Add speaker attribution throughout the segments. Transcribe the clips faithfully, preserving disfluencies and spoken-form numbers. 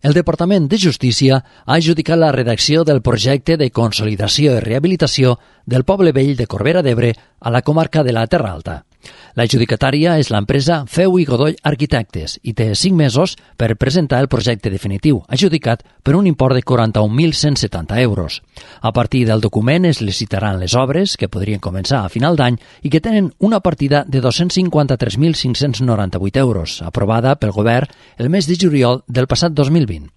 Speaker 1: El Departament de Justícia ha adjudicat la redacció del projecte de consolidació i rehabilitació del Poble Vell de Corbera d'Ebre a la comarca de la Terra Alta. La adjudicatària és l'empresa Feu i Godoy Arquitectes i té cinc mesos per presentar el projecte definitiu, adjudicat per un import de quaranta-un mil cent setanta euros. A partir del document es licitaran les obres, que podrien començar a final d'any i que tenen una partida de dos-cents cinquanta-tres mil cinc-cents noranta-vuit euros, aprovada pel Govern el mes de juliol del passat dos mil vint.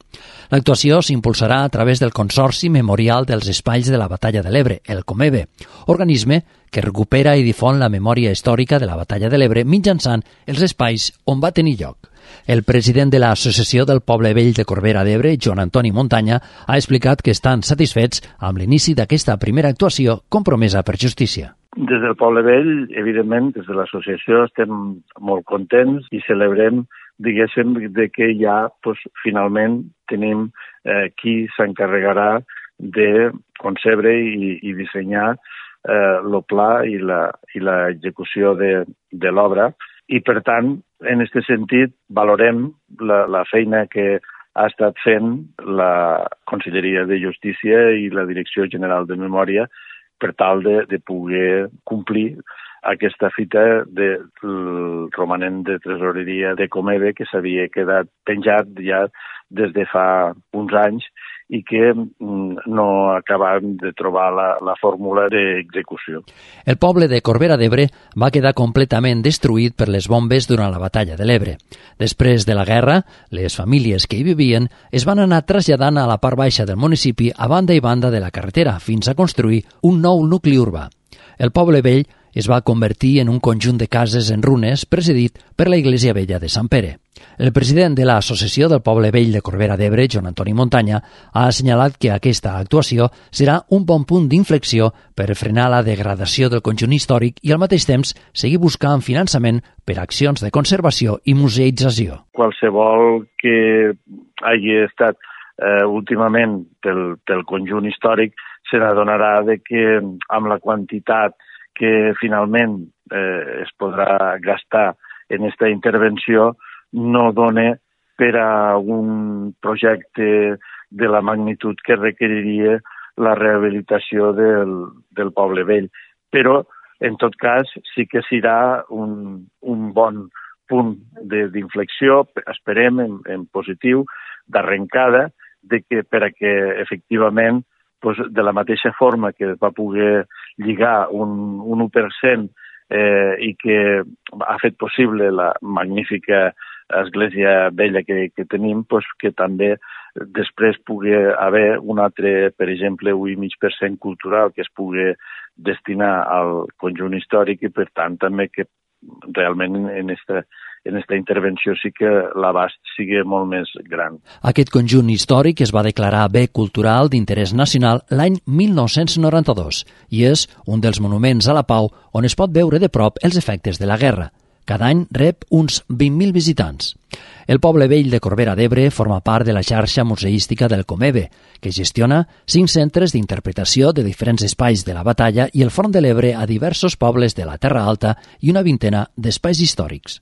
Speaker 1: L'actuació s'impulsarà a través del Consorci Memorial dels Espais de la Batalla de l'Ebre, el COMEBE, organisme que recupera i difon la memòria històrica de la Batalla de l'Ebre mitjançant els espais on va tenir lloc. El president de l'Associació del Poble Vell de Corbera d'Ebre, Joan Antoni Montanya, ha explicat que estan satisfets amb l'inici d'aquesta primera actuació compromesa per justícia.
Speaker 2: Des del Poble Vell, evidentment, des de l'associació estem molt contents i celebrem, diguéssim, de que ja pues, finalment tenim eh, qui s'encarregarà de concebre i, i dissenyar eh, el pla i la, i l'execució de, de l'obra. I, per tant, en aquest sentit, valorem la, la feina que ha estat fent la Conselleria de Justícia i la Direcció General de Memòria per tal de, de poder complir aquesta fita del romanent de tresoreria de Comebe que s'havia quedat penjat ja des de fa uns anys i que no acabàvem de trobar la, la fórmula d'execució.
Speaker 1: El poble de Corbera d'Ebre va quedar completament destruït per les bombes durant la batalla de l'Ebre. Després de la guerra, les famílies que hi vivien es van anar traslladant a la part baixa del municipi a banda i banda de la carretera fins a construir un nou nucli urbà. El poble vell es va convertir en un conjunt de cases en runes presidit per la Iglesia Vella de Sant Pere. El president de l'Associació del Poble Vell de Corbera d'Ebre, Joan Antoni Montanya, ha assenyalat que aquesta actuació serà un bon punt d'inflexió per frenar la degradació del conjunt històric i al mateix temps seguir buscant finançament per accions de conservació i museïtzació.
Speaker 2: Qualsevol que hagi estat eh, últimament pel, pel conjunt històric se n'adonarà de que amb la quantitat que finalment eh, es podrà gastar en aquesta intervenció no dona per a un projecte de la magnitud que requeriria la rehabilitació del, del poble vell. Però, en tot cas, sí que serà un, un bon punt d'inflexió, esperem en, en positiu, d'arrencada, de que per a que efectivament pues, de la mateixa forma que es va poder lligar un, un u per cent eh, i que ha fet possible la magnífica església vella que, que tenim, pues, que també després pugui haver un altre, per exemple, un i mig per cent cultural que es pugui destinar al conjunt històric i, per tant, també que realment en esta, en esta intervenció sí que l'abast sigui molt més gran.
Speaker 1: Aquest conjunt històric es va declarar bé cultural d'interès nacional l'any mil nou-cents noranta-dos i és un dels monuments a la pau on es pot veure de prop els efectes de la guerra. Cada any rep uns vint mil visitants. El Poble Vell de Corbera d'Ebre forma part de la xarxa museística del COMEBE, que gestiona cinc centres d'interpretació de diferents espais de la batalla i el Front de l'Ebre a diversos pobles de la Terra Alta i una vintena d'espais històrics.